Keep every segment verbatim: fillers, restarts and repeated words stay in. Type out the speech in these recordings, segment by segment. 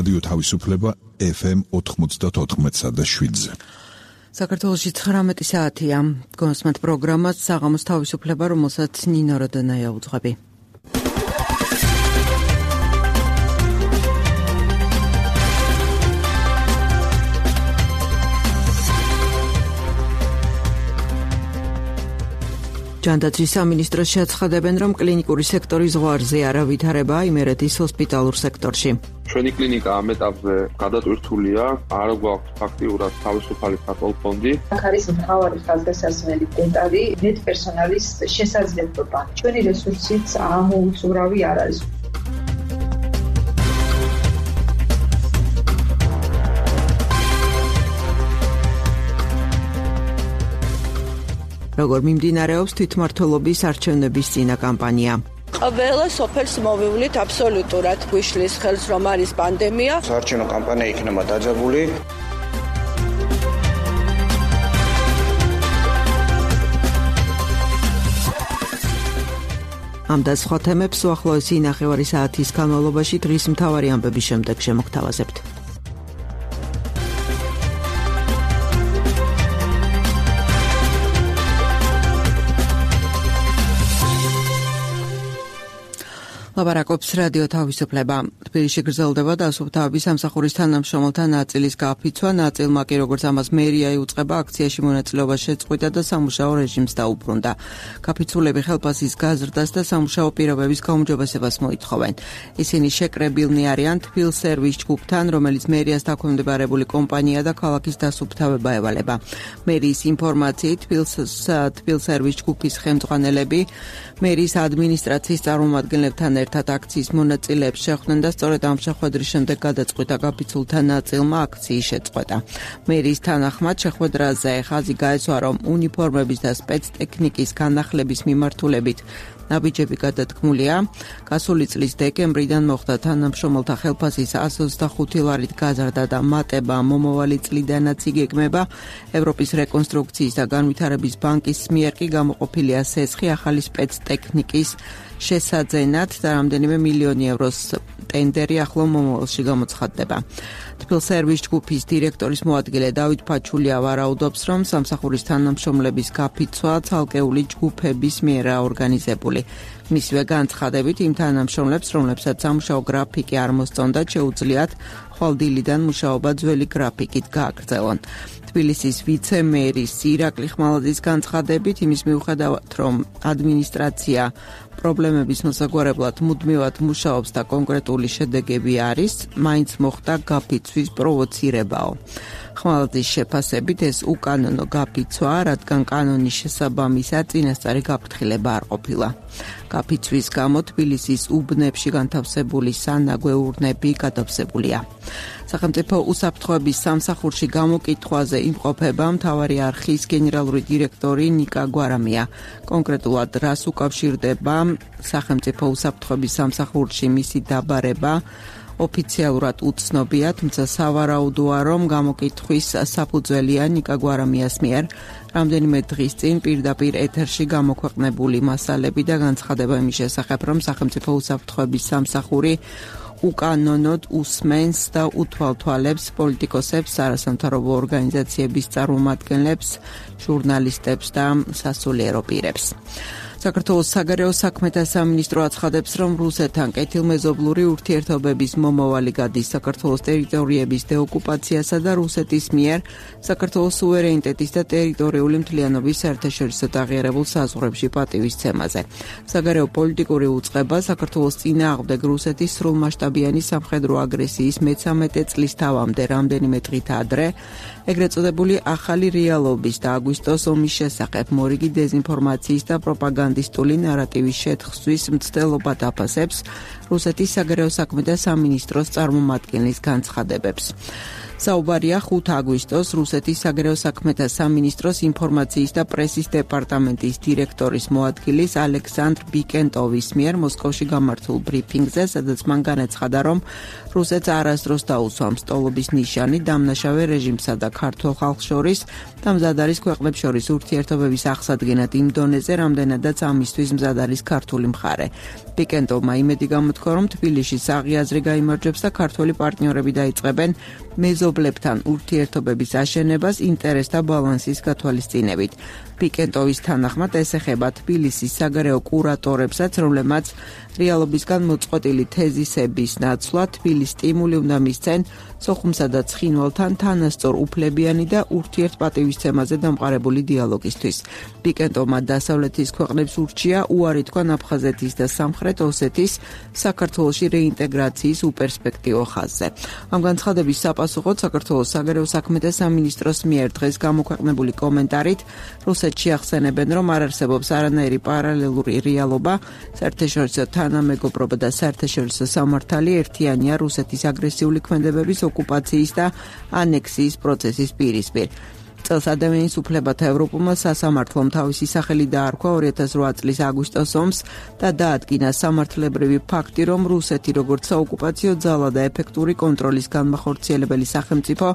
რადიო თავისუფლება ეფ ემ ოთხმოცდაოთხ და შვიდზე. საქართველოში ცხრამეტი საათია. გონსმათ პროგრამას საღამოს თავისუფლება, რომელსაც ნინო როდონაია უძღვები. ჯანდაცვის სამინისტროს შეაცხადებენ, რომ კლინიკური სექტორის ზღვარზე არავითარებაა იმერეთის ჰოსპიტალურ სექტორში. ჩვენი კლინიკა ამ ეტაპზე გადატვირთულია, არ გვაქვს ფაქტიურად თავისუფალი საკოლ ფონდი. აქ არის მთავარი ხაზგასასმელი დეტალი მედპერსონალის შესაძლებლობა. ჩვენი რესურსიც ამოუწურავი არ არის. როგორ მიმდინარეობს თვითმმართველობის არჩევნების წინა კამპანია? ყველა სოფელს მოვივლით აბსოლუტურად გვიშლის ხელს, რომ არის პანდემია. საარჩევნო კამპანია იქნება დაძაბული. ამ და სხვა თემებს უახლოესი ნახევარი საათის განმავლობაში დღის მთავარი ამბების შემდეგ შემოგთავაზებთ. ლაპარაკობს რადიო თავისუფლება. თბილისში გრძელდება დასუფთავების სამსახურის თანამშრომელთა ნაწილის გაფიცვა. ნაწილმა კი, როგორც ამას მერია იუწყება, აქციაში მონაწილეობა შეწყვიტა და სამუშაო რეჟიმს დაუბრუნდა. გაფიცულები ხელფასის გაზრდას და სამუშაო პირობების გაუმჯობესებას მოითხოვენ. ისინი შეკრებილნი არიან თბილსერვის ჯგუფთან, რომელიც მერიას დაქვემდებარებული კომპანია და ქალაქის დასუფთავება ევალება. მერიის ინფორმაციით, თბილსერვის ჯგუფის ხელმძღვანელები მერიის ადმინისტრაციის წარმომადგენლებთან ერთად აქციის მონაწილეებს შეხვდნენ და სწორედ ამ შეხვედრის შემდეგ გადაწყვიტა გაფიცულთა ნაწილმა აქციის შეწყვეტა. მერიის თანახმად შეხვედრაზე ხაზი გაეცვა, რომ უნიფორმების და სპეცტექნიკის განახლების მიმართულებით ნაბიჯები გადადგმულია. გასული წლის დეკემბრიდან მოხდა თანამშრომელთა ხელფასის ასი ოცდახუთი ლარით გაზრდა და მატება მომავალი წლიდანაც იგეგმება. ევროპის რეკონსტრუქციის და განვითარების ბანკის მიერ კი გამოყოფილია სესხი ახალი სპეცტექნიკის შესაძენად და რამდენიმე მილიონი ევროს ტენდერი ახლო მომავალში გამოცხადდება. თბილსერვის ჯგუფის დირექტორის მოადგილე დავით ფაჩულია ვარაუდობს, რომ სამსახურის თანამშრომლების გაფიცვა ცალკეული ჯგუფების მიერ ორგანიზებული. მისივე განცხადებით, იმ თანამშრომლებს, რომლებსაც სამუშაო გრაფიკი არ მოსწონდათ, შეუძლიათ ხვალდილიდან მუშაობა ძველი გრაფიკით გააგრძელონ. თბილისის ვიცე-მერის ირაკლი ხმალაძის განცხადებით, იმის მიუხედავად, რომ ადმინისტრაცია პრობლემების მოსაგვარებლად მუდმივად მუშაობს და კონკრეტული შედეგები არის, მაინც მოხდა გაფიცვის პროვოცირებაო. ხმალაძის შეფასებით ეს უკანონო გაფიცვაა, რადგან კანონის შესაბამისა წინასწარი გაფრთხილება არ ყოფილა. გაფიცვის გამო თბილისის უბნებში განთავსებული სანაგვე ურნები გადავსებულია. სახელმწიფო უსაფრთხოების სამსახურში გამოკითხვაზე იმყოფება მთავარი არხის გენერალური დირექტორი ნიკა გვარამია. კონკრეტულად რას უკავშირდება სახელმწიფო უსაფრთხოების სამსახურში მისი დაბარება ოფიციალურად უცნობია, თუმცა სავარაუდოა, რომ გამოკითხვის საფუძველია ნიკა გვარამიას მიერ რამდენიმე დღის წინ პირდაპირ ეთერში გამოქვეყნებული მასალები და განცხადება იმის შესახებ, რომ სახელმწიფო უსაფრთხოების სამსახური უკანონოდ უსმენს და უთვალთვალებს პოლიტიკოსებს, არასამთავრობო ორგანიზაციების წარმომადგენლებს, ჟურნალისტებს და სასულიერო პირებს. საქართველოს საგარეო საქმეთა სამინისტრო აცხადებს, რომ რუსეთთან კეთილმეზობლური ურთიერთობების მომავალი გადის საქართველოს ტერიტორიების დეოკუპაციასა და რუსეთის მიერ საქართველოს სუვერენიტეტის და ტერიტორიული მთლიანობის საერთაშორისო აღიარებულ საზღვრებში პატივისცემაზე. საგარეო პოლიტიკური უწყება საქართველოს წინააღმდეგ რუსეთის სრულმასშტაბიანი სამხედრო აგრესიის მეცამეტე წლის თავამდე რამდენიმე დღით ადრე ეგრეთ წოდებული ახალი რეალობის და აგვისტოს ომის შესახებ მორიგი დეზინფორმაციის და პროპაგანდისტული ნარატივის შეთხსვის მცდელობა დაფასებს რუსეთის საგარეო საქმეთა სამინისტროს წარმომადგენლის განცხადებებს. საუბარია ხუთი აგვისტოს რუსეთის საგარეო საქმეთა სამინისტროს ინფორმაციის და პრესის დეპარტამენტის დირექტორის მოადგილის ალექსანდრ ბიკენტოვის მიერ მოსკოვში გამართულ ბრიფინგზე, სადაც მან განაცხადა, რომ რუსეთს არასდროს დაუსვამს სტოლობის ნიშანი დამნაშავე რეჟიმსა და ქართულ ხალხს შორის და მზად არის ქვეყნებს შორის ურთიერთობების აღსადგენად იმ დონეზე, რამდენადაც ამისთვის მზად არის ქართული მხარე. ბიკენტოვმა იმედი გამოთქვა, რომ თბილისში საღი აზრი გაიმარჯვებს და ქართველი პარტნიორები დაიწყებენ მეზობლებთან ურთიერთობების აშენებას ინტერესთა ბალანსის გათვალისწინებით. ბიკენტოვის თანახმად ეს ეხება თბილისის საგარეო კურატორებსაც, რომლებმაც რეალობისგან მოწყვეტილი თეზისების ნაცვლად თბილის სტიმული უნდა მისცენ სოხუმსა და ცხინვალთან თანასწორ უფლებიანი და ურთიერთპატივისცემაზე დამყარებული დიალოგისთვის. ბიკენტოვმა დასავლეთის ქვეყნებს ურჩია უარი თქვან აფხაზეთის და სამხრეთ ოსეთის საქართველოში რეინტეგრაციის უპერსპექტივო ხაზზე. ამ განცხადების საპასუხოდ საქართველოს საგარეო საქმეთა სამინისტროს მიერ დღეს გამოქვეყნებული კომენტარით რუსეთში ახსენებენ, რომ არ არსებობს არანაირი პარალელური რეალობა, საერთაშორისო თანამეგობრობა და საერთაშორისო სამართალი ერთიანია რუსეთის აგრესიული ქმედებების ოკუპაციის და ანექსიის პროცესის პირისპირ. წელს ადამიანის უფლებათა ევროპულმა სასამართლომ თავისი სახელი დაარქვა ორი ათას რვა წლის აგვისტოს ომს და დაადგინა სამართლებრივი ფაქტი, რომ რუსეთი როგორც საოკუპაციო ძალა და ეფექტური კონტროლის განმახორციელებელი სახელმწიფო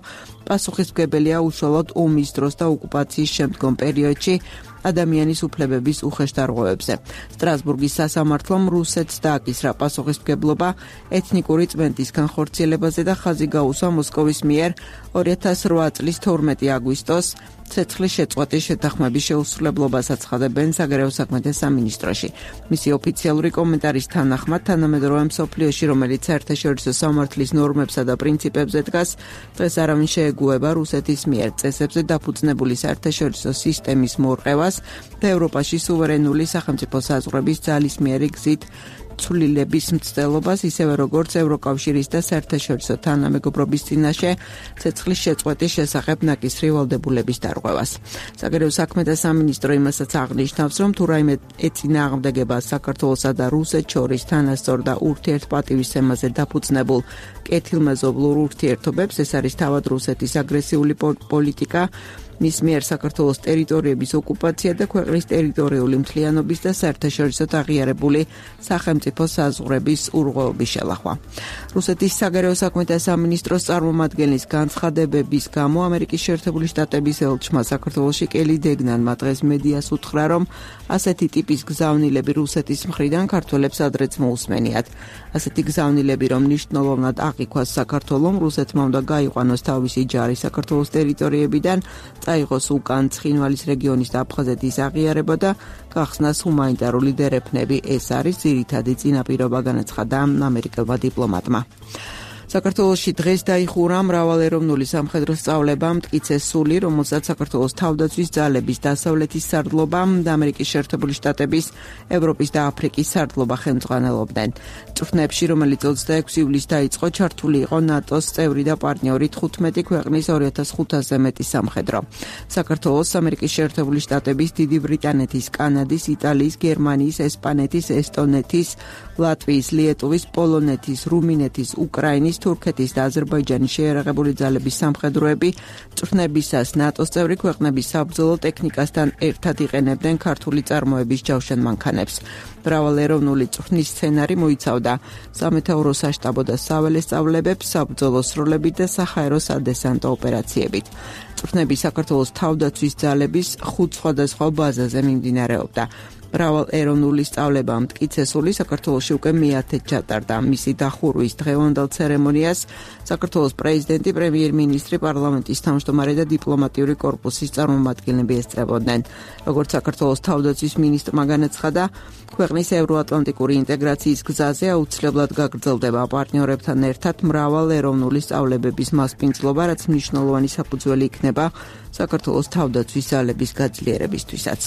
პასუხისმგებელია უშუალოდ ომის დროს და ოკუპაციის შემდგომ პერიოდში ადამიანის უფლებების უხეშდარღვევებზე. სტრასბურგის სასამართლომ რუსეთს დააკისრა პასუხისმგებლობა ეთნიკური წმენდის განხორციელებაზე და ხაზი გაუსვა მოსკოვის მიერ ორი ათას რვა წლის თორმეტი აგვისტოს ცეცხლის შეწყვეტის შეთანხმების შეუსრულებლობას აცხადებენ საგარეო საქმეთა სამინისტროში. მისი ოფიციალური კომენტარის თანახმად, თანამედროვე მსოფლიოში, რომელიც საერთაშორისო სამართლის ნორმებსა და პრინციპებზე დგას, დღეს არავინ შეეგუება რუსეთის მიერ წესებზე დაფუძნებული საერთაშორისო სისტემის მორყევას და ევროპაში სუვერენული სახელმწიფო საზღვრების ძალისმიერი გზით ცვლილების მცდელობას, ისევე როგორც ევროკავშირის და საერთაშორისო თანამეგობრობის წინაშე ცეცხლის შეწყვეტის შესახებ ნაკისრი ვალდებულების დარღვევას. საგარეო საქმეთა სამინისტრო იმასაც აღნიშნავს, რომ თუ რაიმე ეწინააღმდეგება საქართველოსა და რუსეთს შორის თანასწორ და ურთიერთპატივისცემაზე დაფუძნებულ კეთილმეზობლურ ურთიერთობებს, ეს არის თავად რუსეთის აგრესიული პოლიტიკა, მის მიერ საქართველოს ტერიტორიების ოკუპაცია და ქვეყნის ტერიტორიული მთლიანობის და საერთაშორისოდ აღიარებული სახელმწიფო საზღვრების ურღვეობის შელახვა. რუსეთის საგარეო საქმეთა სამინისტროს წარმომადგენლის განცხადებების გამო ამერიკის შეერთებული შტატების ელჩმა საქართველოში კელი დეგნანმა დღეს მედიას უთხრა, რომ ასეთი ტიპის გზავნილები რუსეთის მხრიდან ქართველებს ადრეც მოусმენიათ. ასეთი გზავნილები, რომ მნიშვნელოვნად აღიქვას საქართველომ, რუსეთმა უნდა გაიყვანოს თავისი ჯარი საქართველოს ტერიტორიებიდან, წაიღოს უკან ცხინვალის რეგიონის და აფხაზეთის აღიარება და გახსნას ჰუმანიტარული დერეფნები. ეს არის ძირითადი წინაპირობა, განაცხადა ამერიკელმა დიპლომატმა. საქართველოში დღეს დაიხურა მრავალეროვნული სამხედრო სწავლება მტკიცე სული, რომელსაც საქართველოს თავდაცვის ძალების დასავლეთის სარდლობა და ამერიკის შეერთებული შტატების, ევროპის და აფრიკის სარდლობა ხელმძღვანელობდნენ. წვრთნებში, რომელიც ოცდაექვსი ივლისს დაიწყო, ჩართული იყო ნატოს წევრი და პარტნიორი თხუთმეტი ქვეყნის ორი ათას ხუთასზე მეტი სამხედრო. საქართველოს, ამერიკის შეერთებული შტატების, დიდი ბრიტანეთის, კანადის, იტალიის, გერმანიის, ესპანეთის, ესტონეთის, ლატვიის, ლიეტუვის, პოლონეთის, რუმინეთის, უკრაინის, თურქეთის და აზერბაიჯანის შეიარაღებული ძალების სამხედროები წვრთნებისას ნატოს წევრი ქვეყნების საბრძოლო ტექნიკასთან ერთად იყენებდნენ ქართული წარმოების ჯავშან მანქანებს. მრავალეროვნული წვრთნის სცენარი მოიცავდა სამეთაურო საშტაბო და საველე სწავლებებს, საბრძოლო სროლებით და საჰაერო სადესანტო ოპერაციებით. წვრთნები საქართველოს თავდაცვის ძალების ხუთ სხვადასხვა ბაზაზე მიმდინარეობდა. მრავალეროვნული სწავლება მტკიცესული საქართველოში უკვე მეათედ ჩატარდა. მისი დახურვის დღევანდელ ცერემონიას საქართველოს პრეზიდენტი, პრემიერ-მინისტრი, პარლამენტის თავმჯდომარე და დიპლომატიური კორპუსის წარმომადგენლები ესწრებოდნენ. როგორც საქართველოს თავდაცვის მინისტრმა განაცხადა, ქვეყნის ევროატლანტიკური ინტეგრაციის გზაზე აუცილებლად გაგრძელდება პარტნიორებთან ერთად მრავალეროვნული სწავლებების მასპინძლობა, რაც მნიშვნელოვანი საფუძველი იქნება საქართველოს თავდაცვის ძალების გაძლიერებისთვისაც.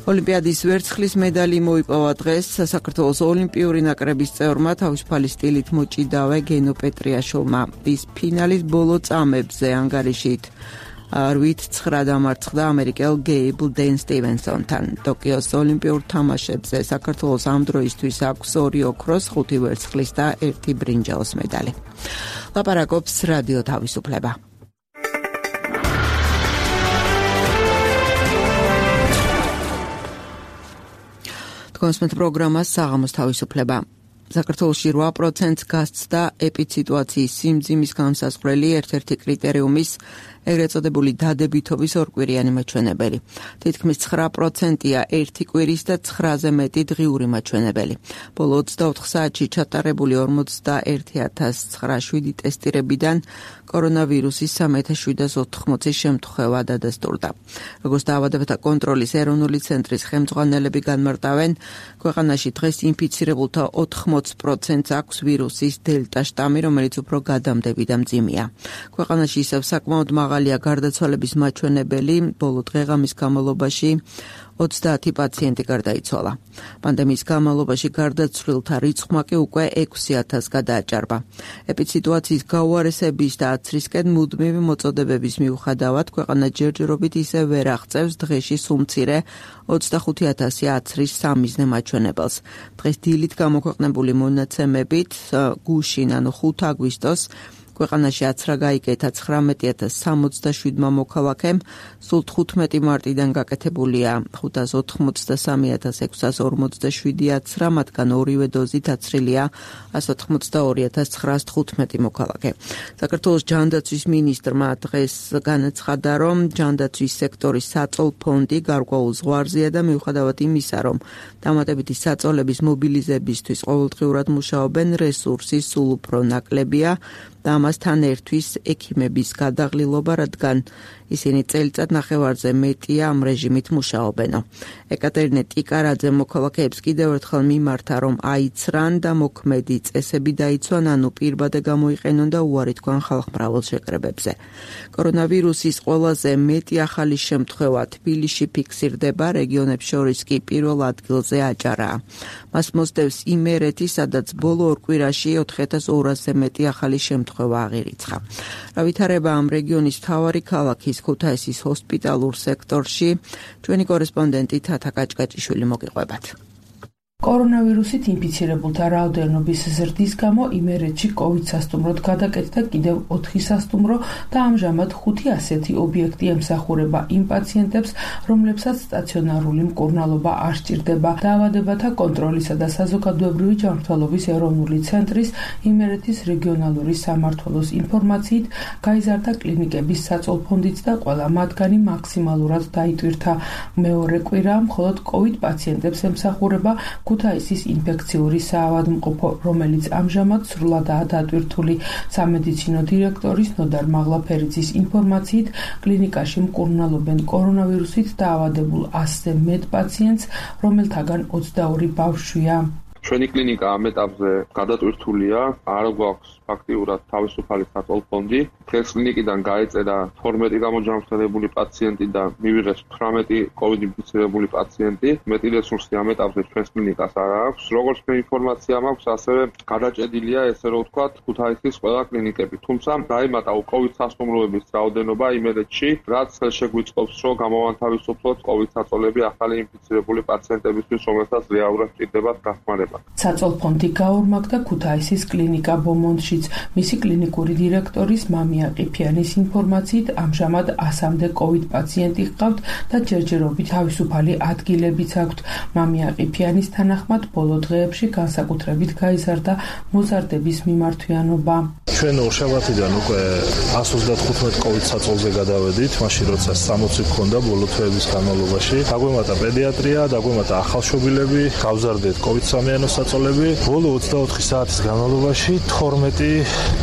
ოლიმპიადის ვერცხლის მედალი მოიპოვა დღეს საქართველოს ოლიმპიური ნაკრების წევრმა თავისუფალი სტილით მოჭიდავე გენო პეტრიაშვილმა. ის ფინალის ბოლო წამებზე ანგარიშით რვით ცხრა დამარცხდა ამერიკელ გეიბლ დენ სტივენსონთან. ტოკიოს ოლიმპიურ თამაშებზე საქართველოს ამ დროისთვის აქვს ორი ოქროს, ხუთი ვერცხლის და ერთი ბრინჯაოს medali. ლაპარაკობს რადიო თავისუფლება. თქვენს პროგრამას საღამოს თავისუფლება. საქართველოში რვა პროცენტს გასცდა ეპიდსიტუაციის სიმძიმის განსაზღვრელი ერთ-ერთი კრიტერიუმის ეგრეთ წოდებული დადებითობის ორკვირიანი მაჩვენებელი. თითქმის ცხრა პროცენტია ერთი კვირის და ცხრაზე მეტი დღიური მაჩვენებელი. ბოლო ოცდაოთხ საათში ჩატარებული ორმოცდაერთი ათას ცხრაასი ტესტირებიდან კორონავირუსის სამი ათას შვიდას ოთხმოცი შემთხვევა დადასტურდა. როგორც დაავადებათა კონტროლის ეროვნული ცენტრის ხელმძღვანელები განმარტავენ, ქვეყანაში დღეს ინფიცირებულთა ოთხმოცი პროცენტს აქვს ვირუსის დელტა შტამი, რომელიც უფრო გადამდები და მძიმეა. ქვეყანაში ისევ საკმაოდ მაღალია გარდაცვალების მაჩვენებელი, ბოლო დღეღამის განმავლობაში ოცდაათი პაციენტი გარდაიცვალა. პანდემიის განმავლობაში გარდაცვლილთა რიცხვმა კი უკვე ექვსი ათასს გადააჭარბა. ეპიდსიტუაციის გაუარესების და აცრისკენ მუდმივი მოწოდებების მიუხედავად, ქვეყანა ჯერჯერობით ისევ ვერ აღწევს დღეში სულ-მცირე ოცდახუთი ათასი აცრის სამიზნე მაჩვენებელს. დღეს დილით გამოქვეყნებული მონაცემებით გუშინ, ანუ ხუთი აგვისტოს ქვეყანაში აცრა გაიკეთა ცხრამეტი ათას სამოცდაშვიდმა მოქალაქემ, სულ თხუთმეტი მარტიდან გაკეთებულია ხუთას ოთხმოცდასამი ათას ექვსას ორმოცდაშვიდი აცრა, მათგან ორივე დოზით აცრილია ას ოთხმოცდაორი ათას ცხრაას თხუთმეტი მოქალაქე. საქართველოს ჯანდაცვის მინისტრმა დღეს განაცხადა, რომ ჯანდაცვის სექტორის საწოლ ფონდი გარკვეულ ზღვარზეა და მიუხედავად იმისა, რომ დამატებითი საწოლების მობილიზებისთვის ყოველდღიურად მუშაობენ, რესურსი სულ უფრო ნაკლებია და ამასთან ერთვის ექიმების გადაღლილობა, რადგან ისინი წელიწად ნახევარზე მეტია ამ რეჟიმით მუშაობენო. ეკატერინე ტიკარაძე მოქალაქეებს კიდევ ერთხელ მიმართა, რომ აიცრან და მოქმედი წესები დაიცვან, ანუ პირბადე გამოიყენონ და უარი თქვან ხალხმრავალ შეკრებებზე. კორონავირუსის ყველაზე მეტი ახალი შემთხვევა თბილისში ფიქსირდება, რეგიონებს შორის კი პირველ ადგილზე აჭარაა. მას მოსდევს იმერეთი, სადაც ბოლო ორ კვირაში ოთხი ათას ორასზე მეტი ახალი შემთხვევა აღირიცხა. რა ვითარება ამ რეგიონის მთავარი ქალაქის ქუთაისის ჰოსპიტალურ სექტორში, ჩვენი კორესპონდენტი თათა კაჭკაჭიშვილი მოგიყვებათ. კორონავირუსით ინფიცირებულთა რაოდენობის ზრდის გამო იმერეთში კოვიდ სასტუმროდ გადაკეთდა კიდევ ოთხი სასტუმრო და ამჟამად ხუთი ასეთი ობიექტი ემსახურება იმ პაციენტებს, რომლებსაც სტაციონარული მკურნალობა არ სჭირდება. დაავადებათა კონტროლისა და საზოგადოებრივი ჯანმრთელობის ეროვნული ცენტრის იმერეთის რეგიონალური სამმართველოს ინფორმაციით, გაიზარდა კლინიკების საწოლფონდიც და ყველა მათგანი მაქსიმალურად დაიტვირთა. მეორე კვირა მხოლოდ კოვიდ პაციენტებს ემსახურება ქუთაისის ინფექციური საავადმყოფო, რომელიც ამჟამად სრულადაა დატვირთული. სამედიცინო დირექტორის ნოდარ მაღლაფერიძის ინფორმაციით, კლინიკაში მკურნალობენ კორონავირუსით დაავადებულ ასზე მეტ პაციენტს, რომელთაგან ოცდაორი ბავშვია. ჩვენი კლინიკა ამ ეტაპზე გადატვირთულია, არ გვაქვს ფაქტიურად თავისუფალი საწოლფონდი. დღეს კლინიკიდან გაეწერა თორმეტი გამოჯანმრთელებული პაციენტი და მივიღეს თვრამეტი კოვიდ ინფიცირებული პაციენტი. მეტი რესურსი ამ ეტაპზე ჩვენს კლინიკას არ აქვს. როგორც მე ინფორმაცია მაქვს, ასევე გადაჭედილია, ესე რომ ვთქვათ, ქუთაისის ყველა კლინიკები. თუმცა დაემატა კოვიდ სასტუმროების რაოდენობა იმერეთში, რაც შეგვიწყობს, რომ გამოვანთავისუფლოთ კოვიდ საწოლები ახალი ინფიცირებული პაციენტებისთვის, რომელთაც რეალურად სჭირდებათ დახმარება. საწოლფონდი გაორმაგდა ქუთაისის კლინიკა ბომონდში. მისი კლინიკური დირექტორის მამია ყიფიანის ინფორმაციით, ამჟამად ასამდე კოვიდ პაციენტი ჰყავთ და ჯერჯერობით თავისუფალი ადგილებიც აქვთ. მამია ყიფიანის თანახმად, ბოლო დღეებში განსაკუთრებით გაიზარდა მოზარდების მიმართვიანობა. ჩვენ ორშაბათიდან უკვე ას ოცდათხუთმეტ კოვიდ საწოლზე გადავედით, მაშინ როცა სამოცი გქონდა ბოლო თვეების განმავლობაში. დაგვემატა პედიატრია, დაგვემატა ახალშობილები, გავზარდეთ კოვიდ სამიანოს საწოლები. ბოლო ოცდაოთხი საათის განმავლობაში თორმეტი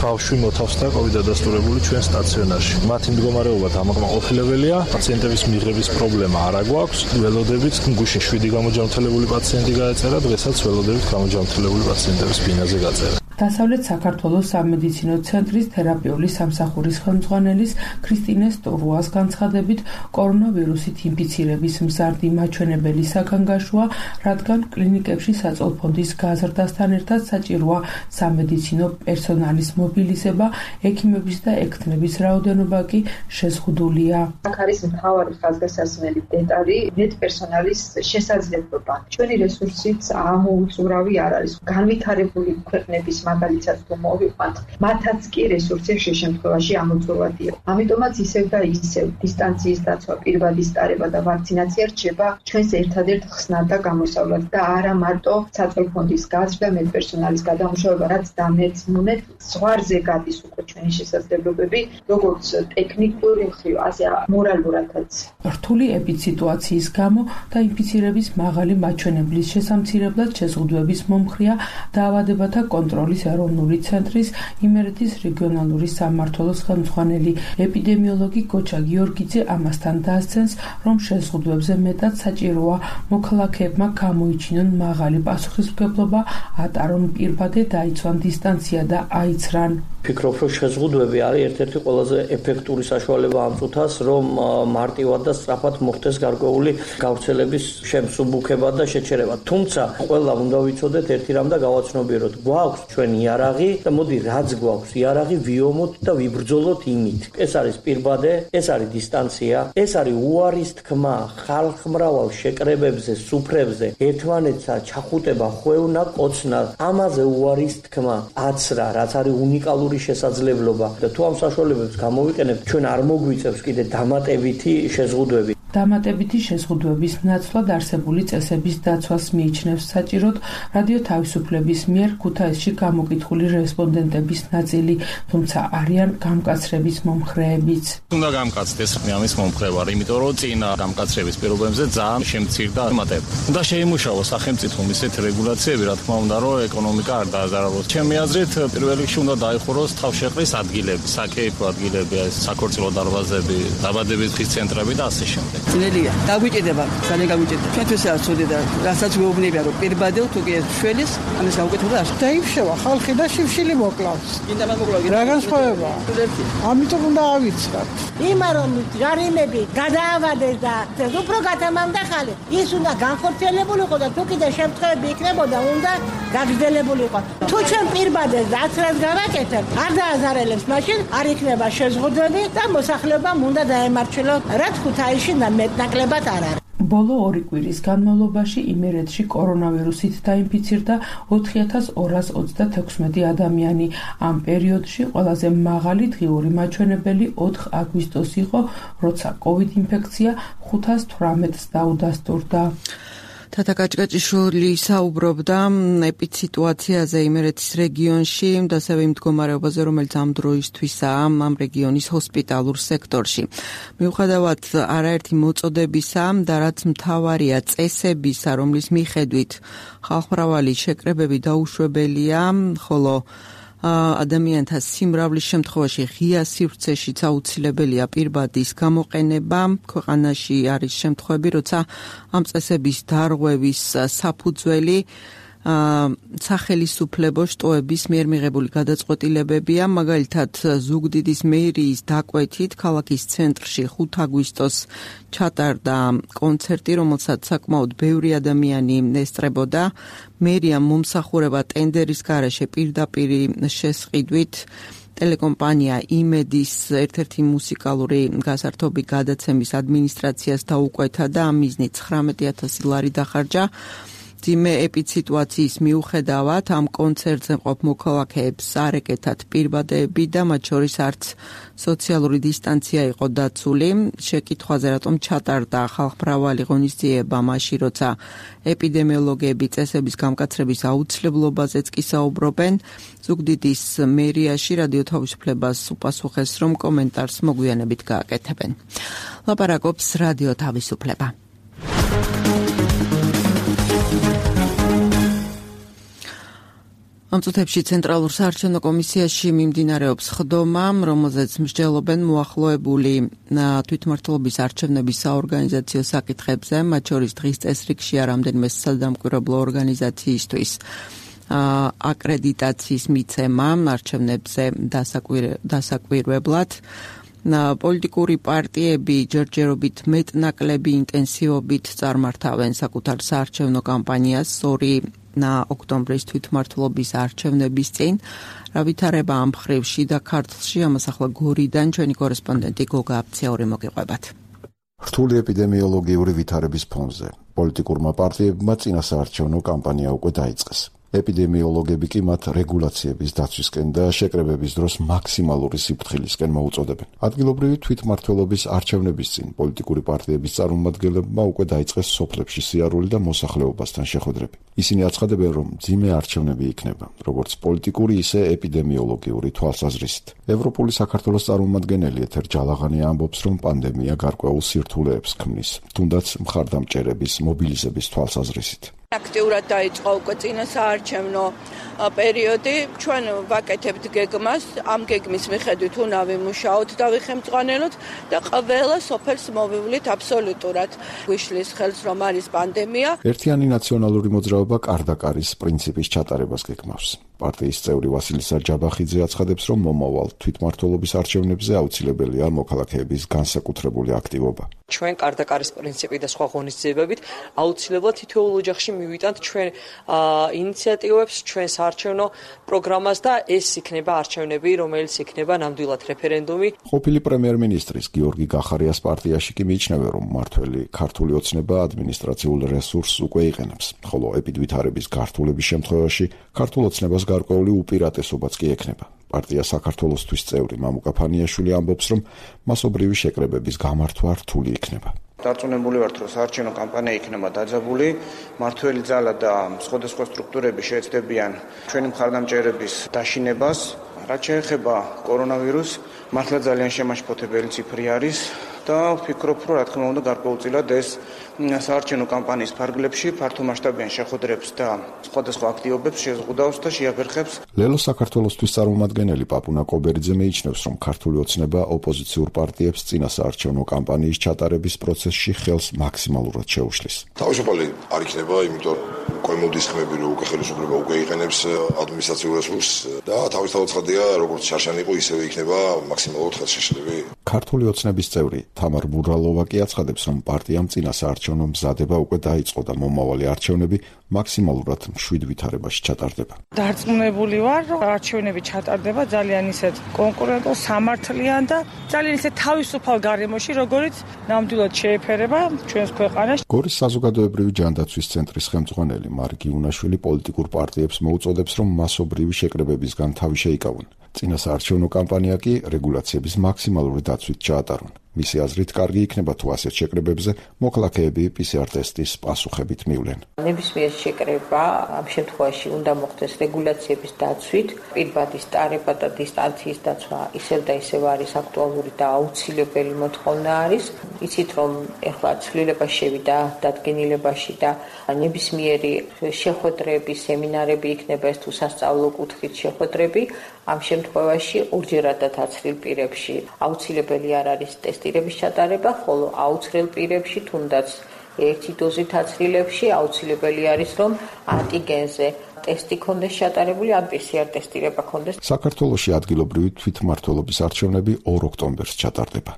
ბავშვი მოთავსდა კოვიდ დადასტურებული ჩვენ სტაციონარში. მათი მდგომარეობა დამაკმაყოფილებელია, პაციენტების მიღების პრობლემა არ აგვაქვს. ველოდებით გუშინ შვიდი გამოჯანმრთელებული პაციენტი გაეწერა, დღესაც ველოდებით გამოჯანმრთელებული პაციენტების ბინაზე გაწერა. დასავლეთ საქართველოს სამედიცინო ცენტრის თერაპიული სამსახურის ხელმძღვანელის ქრისტინე სტურუას განცხადებით, კორონავირუსით ინფიცირების მზარდი მაჩვენებელი საგანგაშოა, რადგან კლინიკებში საწოლფონდის გაზრდასთან ერთად საჭიროა სამედიცინო პერსონალის მობილიზება, ექიმების და ექთნების რაოდენობა კი შეზღუდულია. აქ არის მთავარი ხაზგასასმელი დეტალი მედპერსონალის შესაძლებლობა. ჩვენი რესურსიც ამოუწურავი არ არის. განვითარებული ქვეყნების მაგალითად თუ მოვიყვანთ, მათაც კი რესურსი შე შემთხვევაში ამოწურვადია. ამიტომაც ისევ და ისევ დისტანციის დაცვა, პირვადის ტარება და ვაქცინაცია რჩება ჩვენს ერთადერთ ხსნად და გამოსავლად და არა მარტო საწოლფონდის გაზრდა, მედპერსონალის გადამუშავება, რაც დამეცნუნეთ, ზღვარზე გადის უკვე ჩვენი შესაძლებლობები, როგორც ტექნიკური მხრივ, ასე მორალურადაც. რთული ეპიდსიტუაციის გამო და ინფიცირების მაღალი მაჩვენებლის შესამცირებლად შეზღუდვების მომხრეა დაავადებათა კონტროლის ეროვნული ცენტრის იმერეთის რეგიონალური სამმართველოს ხელმძღვანელი ეპიდემიოლოგი გოჩა გიორგიძე ამასთან დასცენს, რომ შეზღუდვებზე მეტად საჭიროა მოქალაქეებმა გამოიჩინონ მაღალი პასუხისმგებლობა, ატარონ პირბადე, დაიცვან დისტანცია და აიცრან. ფიქრობ, რომ შეზღუდვები არის ერთ-ერთი ყველაზე ეფექტური საშუალება ამ წუთას, რომ მარტივად და სწრაფად მოხდეს გარკვეული გავრცელების შემსუბუქება და შეჩერება. თუმცა, ყველამ უნდა ვიცოდეთ ერთი რამ და გავაცნობიეროთ. გვაქვს ჩვენ იარაღი და მოდი რაც გვაქვს, იარაღი ვიომოთ და ვიბრძოლოთ იმით. ეს არის პირბადე, ეს არის დისტანცია, ეს არის უარის თქმა ხალხმრავალ შეკრებებზე, სუფრებზე, ერთმანეთსა ჩახუტება, ხვევნა, კოცნა, ამაზე უარის თქმა, აცრა, რაც არის უნიკალური შესაძლებლობა და თუ ამ საშუალებებს გამოვიყენებთ, ჩვენ არ მოგვიწევს კიდე დამატებითი შეზღუდვები. დამატებითი შეზღუდვების ნაცვლად არსებული წესების დაცვას მიიჩნევს საჭიროდ რადიო თავისუფლების მიერ ქუთაისში გამოკითხული რესპონდენტების ნაწილი, თუმცა არიან გამკაცრების მომხრეებიც. უნდა გამკაცდეს ამის მომხრე ვარ, იმიტომ რომ წინა გამკაცრების პირობებზე ძალიან შემცირდა მატება. უნდა შეიმუშაოს სახელმწიფომ ისეთ რეგულაციები, რა თქმა უნდა, რომ ეკონომიკა არ დააზარალოს. ჩემი აზრით, პირველ რიგში უნდა დაიხუროს თავშეყრის ადგილები, საკეიფო ადგილები, საქორწილო დარბაზები, დაბადების დღის ცენტრები და ასე შემდეგ. ძნელია. დაგვიჭირდება, ძალიან გაგვიჭირდება. ჩვენთვის არ ცოდი და რასაც გვეუბნებია, რომ პირბადელ თუ კი შველის, ამის გაუკეთება არ. დაიფშევა ხალხი და შიმშილი მოკლავს. კიდე მაგ მოკლავს. რა განსხვავება? ამიტომ უნდა ავიცრათ. იმა რომ ჯარიმები გადაავადეს და უფრო გადამამდა ხალხი. ის უნდა განხორციელებულიყო და თუ კიდე შემთხვევები იქნებოდა, უნდა გაგრძელებულიყო. თუ ჩვენ პირბადეს აცრას გავაკეთებ, არ დააზარელებს, მაშინ არ იქნება შეზღუდვები და მოსახლეობამ უნდა დაემარჩილოს, რაც ქუთაისში და მეტნაკლებად არ არის. ბოლო ორი კვირის განმავლობაში იმერეთში კორონავირუსით დაინფიცირდა ოთხი ათას ორას ოცდათექვსმეტი ადამიანი. ამ პერიოდში ყველაზე მაღალი დღიური მაჩვენებელი ოთხი აგვისტოს იყო, როცა კოვიდ ინფექცია ხუთ ას თვრამეტს დაუდასტურდა. თათა კაჭკაჭიშვილი საუბრობდა ეპიდსიტუაციაზე იმერეთის რეგიონში და ასევე იმ მდგომარეობაზე, რომელიც ამ დროისთვისაა ამ რეგიონის ჰოსპიტალურ სექტორში. მიუხედავად არაერთი მოწოდებისა და რაც მთავარია წესებისა, რომლის მიხედვით ხალხმრავალი შეკრებები დაუშვებელია, ხოლო ადამიანთა სიმრავლის შემთხვევაში ღია სივრცეშიც აუცილებელია პირბადის გამოყენება. ქვეყანაში არის შემთხვევები, როცა ამ წესების დარღვევის საფუძველი სახელისუფლებო შტოების მიერ მიღებული გადაწყვეტილებებია, მაგალითად ზუგდიდის მერიის დაკვეთით ქალაქის ცენტრში ხუთ აგვისტოს ჩატარდა კონცერტი, რომელსაც საკმაოდ ბევრი ადამიანი ესწრებოდა. მერიამ მომსახურება ტენდერის გარეშე პირდაპირ შესყიდვით ტელეკომპანია იმედის ერთ-ერთი მუსიკალური გასართობი გადაცემის ადმინისტრაციას დაუკვეთა და ამ მიზნით ცხრამეტი ათასი ლარი დახარჯა. ძიმე ეპიდსიტუაციის მიუხედავად ამ კონცერტზე მყოფ მოქალაქეებს არ ეკეთათ პირბადეები და მათ შორის არც სოციალური დისტანცია იყო დაცული. შეკითხვაზე რატომ ჩატარდა ხალხმრავალი ღონისძიება მაშინ, როცა ეპიდემიოლოგები წესების გამკაცრების აუცილებლობაზეც კი საუბრობენ. ზუგდიდის მერიაში რადიო თავისუფლებას უპასუხეს, რომ კომენტარს მოგვიანებით გააკეთებენ. ლაპარაკობს რადიო თავისუფლება. ამ წუთებში ცენტრალურ საარჩევნო კომისიაში მიმდინარეობს ხდომა, რომელზეც მსჯელობენ მოახლოებული თვითმმართველობის არჩევნების საორგანიზაციო საკითხებზე, მათ შორის დღის წესრიგშია რამდენიმე სადამკვირვებლო ორგანიზაციისთვის აკრედიტაციის მიცემა არჩევნებზე დასაკვირვებლად. პოლიტიკური პარტიები ჯერჯერობით მეტნაკლები ინტენსივობით წარმართავენ საკუთარ საარჩევნო კამპანიას ორი ოქტომბრის თვითმმართველობის არჩევნების წინ. რა ვითარება ამ მხრივ შიდა ქართლში, ამას ახლა გორიდან ჩვენი კორესპონდენტი გოგა აფციური მოგიყვებათ. რთული ეპიდემიოლოგიური ვითარების ფონზე პოლიტიკურმა პარტიებმა წინასაარჩევნო კამპანია უკვე დაიწყეს. ეპიდემიოლოგები კი მათ რეგულაციების დაცვისკენ და შეკრებების დროს მაქსიმალური სიფრთხილისკენ მოუწოდებენ. ადგილობრივი თვითმმართველობის არჩევნების წინ პოლიტიკური პარტიების წარმომადგენლებმა უკვე დაიწყეს სოფლებში სიარული და მოსახლეობასთან შეხვედრები. ისინი აცხადებენ, რომ მძიმე არჩევნები იქნება, როგორც პოლიტიკური, ისე ეპიდემიოლოგიური თვალსაზრისით. ევროპული საქართველოს წარმომადგენელი ეთერ ჯალაღანი ამბობს, რომ პანდემია გარკვეულ სირთულეებს ქმნის, თუნდაც მხარდამჭერების მობილიზების თვალსაზრისით. აქტიურად დაიწყო უკვე წინასაარჩევნო პერიოდი. ჩვენ ვაკეთებთ გეგმას, ამ გეგმის მიხედვით უნდა ვიმუშაოთ და ვიხემწყვალოთ და ყველა სოფელს მოვივლით აბსოლუტურად. გვიშლის ხელს რომ არის პანდემია. ერთიანი ნაციონალური მოძრაობა კარდაკარის პრინციპის ჩატარებას გეგმავს. პარტიის წევრი ვასილი სარჯაბახიძე აცხადებს, რომ მომავალ თვითმმართველობის არჩევნებზე აუცილებელია მოქალაქეების განსაკუთრებული აქტივობა. ჩვენ კარდაკარის პრინციპი და სხვა ღონისძიებებით აუცილებლად თითოეულ ოჯახში მივიტანთ ჩვენ ინიციატივებს, ჩვენ საარჩევნო პროგრამას და ეს იქნება არჩევნები, რომელიც იქნება ნამდვილად რეფერენდუმი. ყოფილი პრემიერ-მინისტრის გიორგი გახარიას პარტიაში კი მიიჩნევენ, რომ მმართველი ქართული ოცნება ადმინისტრაციულ რესურსს უკვე იყენებს, ხოლო ეპიდვითარების გართულების შემთხვევაში ქართულ ოცნებას გარკვეული უპირატესობაც კი ექნება. პარტია საქართველოსთვის წევრი მამუკა ფანიაშვილი ამბობს, რომ მასობრივი შეკრებების გამართვა რთული იქნება. დარწმუნებული ვართ, რომ საარჩევნო კამპანია იქნება დაძაბული, მმართველი ძალა და სხვადასხვა სტრუქტურები შეეცდებიან ჩვენი მხარდამჭერების დაშინებას. რაც შეეხება კორონავირუსს, მართლა ძალიან შემაშფოთებელი ციფრი არის და ვფიქრობ, რომ რა თქმა უნდა გარკვეულწილად ეს საარჩევნო კამპანიის ფარგლებში ფართომასშტაბიან შეხვედრებს და სხვადასხვა აქტივობებს შეზღუდავს და შეაფერხებს. ლელო საქართველოსთვის წარმომადგენელი პაპუნა კობერიძე მიიჩნევს, რომ ქართული ოცნება ოპოზიციურ პარტიებს წინასაარჩევნო კამპანიის ჩატარების პროცესში ხელს მაქსიმალურად შეუშლის. თავისუფალი არ იქნება, იმიტომ უკვე მოდის ხმები, რომ უკვე ხელისუფლება უკვე იყენებს ადმინისტრაციულ რესურსს და თავისთავად ცხადია, როგორც შარშანი იყო, ისევე იქნება მაქსიმალურად ხელშეშლები. ქართული ოცნების წევრი თამარ ბურალოვა კი აცხადებს, რომ პარტიამ წინასაარჩევნო მზადება უკვე დაიწყო და მომავალი არჩევნები მაქსიმალურად მშვიდ ვითარებაში ჩატარდება. დარწმუნებული ვარ, რომ არჩევნები ჩატარდება ძალიან ისეთ კონკურენტულ, სამართლიან და ძალიან ისეთ თავისუფალ გარემოში, როგორიც ნამდვილად შეეფერება ჩვენს ქვეყანას. გორის საზოგადოებრივი ჯანდაცვის ცენტრის ხელმძღვანელი მარგი უნაშვილი პოლიტიკურ პარტიებს მოუწოდებს, რომ მასობრივი შეკრებებისგან თავი შეიკავონ. წინასაარჩევნო კამპანია კი რეგულაციების მაქსიმალური დაცვით ჩაატარონ. მისი აზრით, კარგი იქნება თუ ასეთ შეკრებებზე მოქალაქეები პი სი არ ტესტის პასუხებით მივლენ. ნებისმიერ შეკრება ამ შემთხვევაში უნდა მოხდეს რეგულაციების დაცვით, პირბადის ტარება და დისტანციის დაცვა ისევ და ისევ არის აქტუალური და აუცილებელი მოთხოვნა არის. იცით, რომ ეხლა ცვლილება შევიდა დადგენილებაში და ნებისმიერი შეხვედრები, სემინარები იქნება ეს თუ სასწავლო კუთხით შეხვედრები. ამ შემთხვევაში ორჯერადად აცრილ პირებში აუცილებელი არ არის ტესტირების ჩატარება, ხოლო აუცრელ პირებში თუნდაც ერთი დოზით აცრილებში აუცილებელი არის, რომ ანტიგენზე ტესტი ქონდეს ჩატარებული, ან პი სი არ ტესტირება ქონდეს. საქართველოში ადგილობრივი თვითმმართველობის არჩევნები ორ ოქტომბერს ჩატარდება.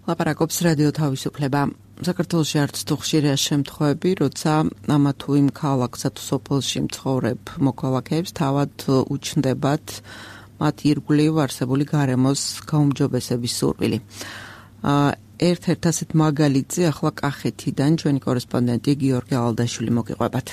ლაპარაკობს რადიო თავისუფლება. საქართველოში არც თუ ხშირია შემთხვევები, როცა ამა თუ იმ ქალაქსა თუ სოფელში მცხოვრებ მოქალაქეებს თავად უჩნდებათ მათ ირგვლივ არსებული გარემოს გაუმჯობესების სურვილი. ერთ-ერთ ასეთ მაგალითზე ახლა კახეთიდან ჩვენი კორესპონდენტი გიორგი ალდაშვილი მოგიყვებათ.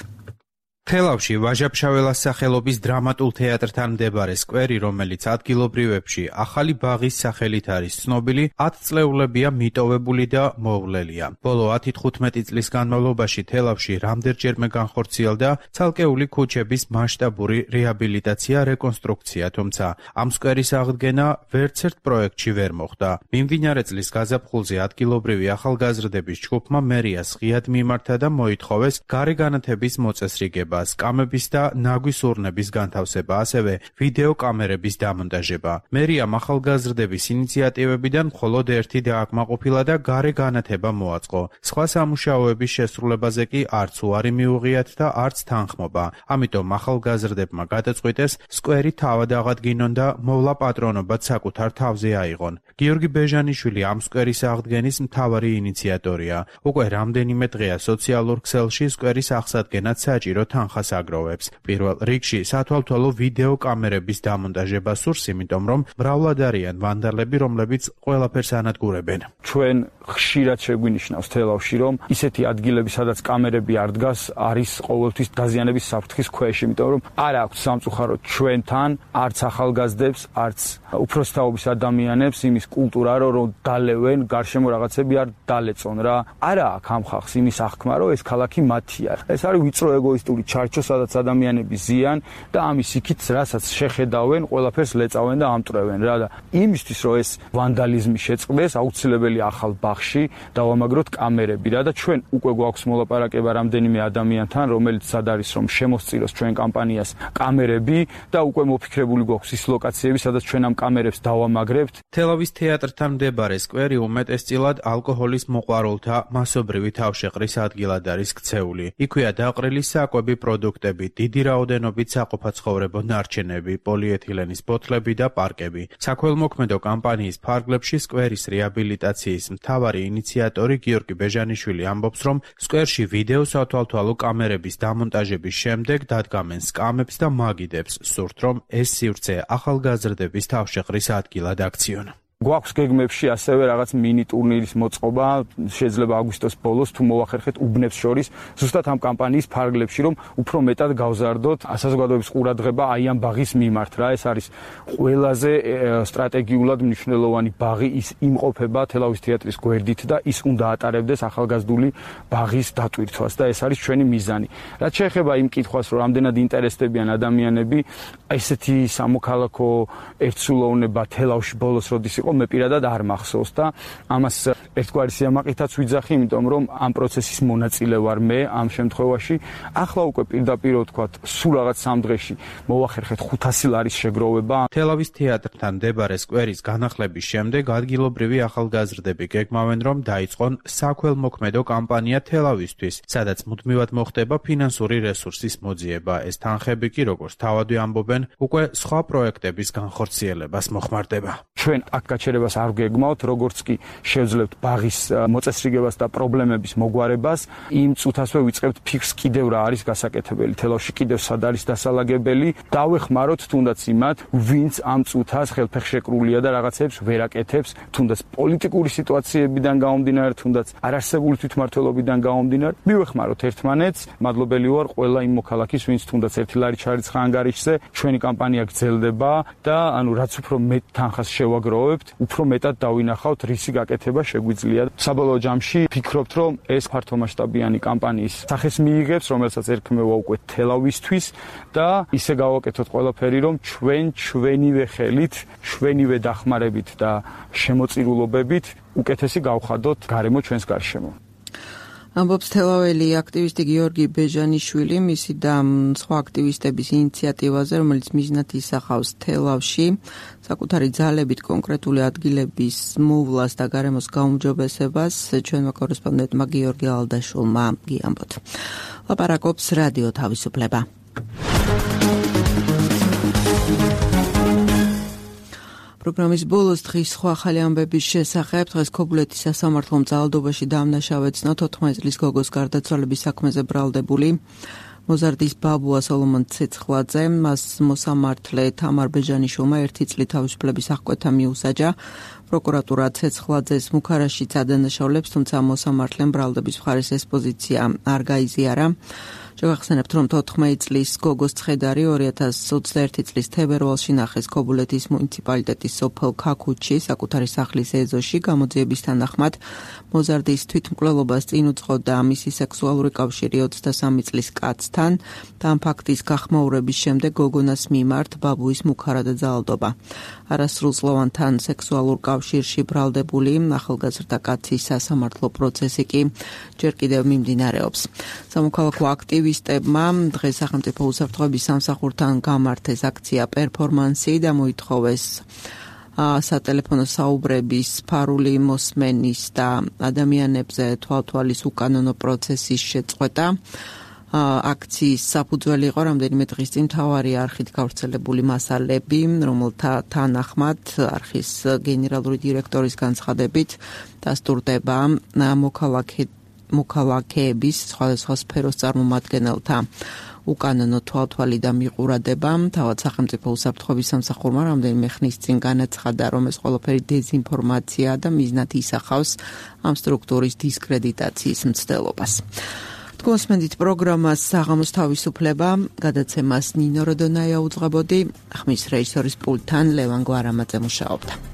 თელავში ვაჟა-ფშაველას სახელობის დრამატულ თეატრთან მდებარე სკვერი, რომელიც ადგილობრივებში ახალი ბაღის სახელით არის ცნობილი, ათწლეულებია მიტოვებული და მოვლელია. ბოლო ათი-თხუთმეტი წლის განმავლობაში თელავში რამდენჯერმე განხორციელდა ცალკეული ქუჩების მასშტაბური რეაბილიტაცია, რეკონსტრუქცია, თუმცა ამ სკვერის აღდგენა ვერცერთ პროექტში ვერ მოხდა. მიმდინარე წლის გაზაფხულზე ადგილობრივი ახალგაზრდების ჯგუფმა მერიას ღიად მიმართა და მოითხოვეს გარეგანათების მოწესრიგება. განთავსება, სკამების და ნაგვის ურნების განთავსება, ასევე ვიდეო კამერების დამონტაჟება. მერიამ ახალგაზრდების ინიციატივებიდან მხოლოდ ერთი დააკმაყოფილა და გარე განათება მოაწყო. სხვა სამუშაოების შესრულებაზე კი არც უარი მიუღიათ და არც თანხმობა. ამიტომ ახალგაზრდებმა გადაწყვიტეს სკვერი თავად აღადგინონ და მოვლა პატრონობად საკუთარ თავზე აიღონ. გიორგი ბეჟანიშვილი ამ სკვერის აღდგენის მთავარი ინიციატორია. უკვე რამდენიმე დღეა სოციალურ ქსელში სკვერის აღსადგენად საჭირო თანხას აგროვებს. პირველ რიგში სათვალთვალო ვიდეო კამერების დამონტაჟება სურს, იმიტომ რომ მრავლად არიან ვანდალები, რომლებიც ყველაფერს ანადგურებენ. ჩვენ ხშირად შეგვინიშნავს თელავში, რომ ისეთი ადგილები, სადაც კამერები არ დგას, არის ყოველთვის დაზიანების საფრთხის ქვეშ, იმიტომ რომ არ აქვს სამწუხაროდ ჩვენთან, არც ახალგაზრდებს, არც უფროსთაობის ადამიანებს იმის კულტურა, რომ დალევენ, გარშემო რაღაცები არ დალეწონ რა. არა აქვს ამ ხალხს იმის აღქმა, რომ ეს ქალაქი მათია. ეს არის ვიწრო ეგოისტური ჩარჩო, სადაც ადამიანები ზიან და ამის იქით, რასაც შეხედავენ, ყველაფერს ლეწავენ და ამტრევენ რა და იმისთვის, რომ ეს ვანდალიზმი შეწყდეს, აუცილებელი ახალ ბაღში დავამაგროთ კამერები რა და ჩვენ უკვე გვაქვს მოლაპარაკება რამდენიმე ადამიანთან, რომელიც სად არის რომ შემოსწიროს ჩვენ კამპანიას კამერები და უკვე მოფიქრებული გვაქვს ის ლოკაციები, სადაც ჩვენ ამ კამერებს დავამაგრებთ. თელავის თეატრთან მდებარე სკვერი უმეტესწილად ალკოჰოლის მოყვარულთა მასობრივი თავშეყრის ადგილად არის ქცეული. იქვეა დაყრილი საკვები პროდუქტები, დიდი რაოდენობით საყოფაცხოვრებო ნარჩენები, პოლიეთილენის ბოთლები და პარკები. საქველმოქმედო კამპანიის ფარგლებში სკვერის რეაბილიტაციის მთავარი ინიციატორი გიორგი ბეჟანიშვილი ამბობს, რომ სკვერში ვიდეო სათვალთვალო კამერების დამონტაჟების შემდეგ დადგამენ სკამებს და მაგიდებს, სურთ რომ ეს სივრცე ახალგაზრდების თავშეყრის ადგილად აქციონ. გვაქვს გეგმებში ასევე რაღაც მინი ტურნირის მოწყობა, შეიძლება აგვისტოს ბოლოს თუ მოვახერხეთ უბნებს შორის, ზუსტად ამ კამპანიის ფარგლებში, რომ უფრო მეტად გავზარდოთ საზოგადოების ყურადღება აი ამ ბაღის მიმართ რა. ეს არის ყველაზე სტრატეგიულად მნიშვნელოვანი ბაღი, ის იმყოფება თელავის თეატრის გვერდით და ის უნდა ატარებდეს ახალგაზრდული ბაღის დატვირთვას და ეს არის ჩვენი მიზანი. რაც შეეხება იმ კითხვას, რომ რამდენად ინტერესდებიან ადამიანები, ესეთი სამოქალაქო ერთსულოვნება თელავში ბოლოს როდის იყო, მე პირადად არ მახსოვს და ამას ერთგვარი სიამაყითაც ვიძახი, იმიტომ რომ ამ პროცესის მონაწილე ვარ მე ამ შემთხვევაში. ახლა უკვე პირდაპირ ვთქვათ, სულ რაღაც სამ დღეში მოვახერხეთ ხუთასი ლარის შეგროვება. თელავის თეატრთან მდებარე სკვერის განახლების შემდეგ ადგილობრივი ახალგაზრდები გეგმავენ, რომ დაიწყონ საქველმოქმედო კამპანია თელავისთვის, სადაც მუდმივად მოხდება ფინანსური რესურსის მოძიება. ეს თანხები კი, როგორც თავადვე ამბობენ, უკვე სხვა პროექტების განხორციელებას მოხმარდება. ჩვენ აქ გაჩერებას არ გეგმავთ, როგორც კი შევძლებთ ბაღის მოწესრიგებას და პრობლემების მოგვარებას, იმ წუთასვე ვიწყებთ ფიქრს კიდევ რა არის გასაკეთებელი. თელავში კიდევ სად არის დასალაგებელი, დავეხმაროთ თუნდაც იმათ, ვინც ამ წუთას ხელფეხშეკრულია და რაღაცებს ვერ აკეთებს, თუნდაც პოლიტიკური სიტუაციებიდან გამომდინარე, თუნდაც არარსებული თვითმმართველობიდან გამომდინარე, მივეხმაროთ ერთმანეთს. მადლობელი ვარ ყველა იმ მოქალაქის, ვინც თუნდაც ერთი ლარი ჩარიცხა ანგარიშზე, ჩვენი კამპანია გრძელდება და ანუ რაც უფრო მეტ თანხას შევაგროვებთ, უფრო მეტად დავინახავთ, რისი გაკეთება შეგვიძლია. საბოლოო ჯამში ფიქრობთ, რომ ეს ფართომასშტაბიანი კამპანიის სახეს მიიღებს, რომელსაც ერქმევა უკვე თელავისთვის და ისე გავაკეთოთ ყველაფერი, რომ ჩვენ ჩვენივე ხელით, ჩვენივე დახმარებით და შემოწირულობებით უკეთესი გავხადოთ გარემო ჩვენს გარშემო. ამბობს თელაველი აქტივისტი გიორგი ბეჟანიშვილი მისი და სხვა აქტივისტების ინიციატივაზე, რომელიც მიზნად ისახავს თელავში საკუთარი ძალებით კონკრეტული ადგილების მოვლას და გარემოს გაუმჯობესებას. ჩვენმა კორესპონდენტმა გიორგი ალდაშულმა გიამბოთ. ლაპარაკობს რადიო თავისუფლება. პროგრამის ბოლოს დღის სხვა ახალი ამბების შესახებ. დღეს ქობულეთის სასამართლომ ძალადობაში დამნაშავე ცნო თოთხმეტ წლის გოგოს გარდაცვალების საქმეზე ბრალდებული მოზარდის ბაბუა სოლომონ ცეცხლაძე, მას მოსამართლე თამარ ბეჟანიშვილმა ერთი წლით თავისუფლების აღკვეთა მიუსაჯა. პროკურატურა ცეცხლაძეს მუქარაშიც ადანაშაულებს, თუმცა მოსამართლემ ბრალდების მხარეს ეს პოზიცია არ გაიზიარა. შევახსენებთ, რომ თოთხმეტ წლის გოგოს ცხედარი ორი ათას ოცდაერთი წლის თებერვალში ნახეს ქობულეთის მუნიციპალიტეტის სოფელ ქაქუჩში საკუთარი სახლის ეზოში. გამოძიების თანახმად მოზარდის თვითმკვლელობას წინ უძღოდა მისი სექსუალური კავშირი ოცდასამი წლის კაცთან და ამ ფაქტის გახმაურების შემდეგ გოგონას მიმართ ბაბუის მუქარა და ძალადობა. არასრულწლოვანთან სექსუალურ კავშირს კავშირში ბრალდებული ახალგაზრდა კაცის სასამართლო პროცესი კი ჯერ კიდევ მიმდინარეობს. სამოქალაქო აქტივისტებმა დღეს სახელმწიფო უსაფრთხოების სამსახურთან გამართეს აქცია პერფორმანსი და მოითხოვეს სატელეფონო საუბრების ფარული მოსმენის და ადამიანებზე თვალთვალის უკანონო პროცესის შეწყვეტა. აქციის საფუძველი იყო რამდენიმე დღის წინ მთავარი არხით გავრცელებული მასალები, რომელთა თანახმად არხის გენერალური დირექტორის განცხადებით დასტურდება მოქალაქეების სხვადასხვა სფეროს წარმომადგენელთა უკანონო თვალთვალი და მიყურადება. თავად სახელმწიფო უსაფრთხოების სამსახურმა რამდენიმე ხნის წინ განაცხადა, რომ ეს ყველაფერი დეზინფორმაციაა და მიზნად ისახავს ამ სტრუქტურის დისკრედიტაციის მცდელობას. გოსმენდით პროგრამას საღამოს თავისუფლება გადაცემას ნინო როდონაია უძღვებოდი, ხმის რეჟისორის პულტთან ლევან გვარამაძე მუშაობდა.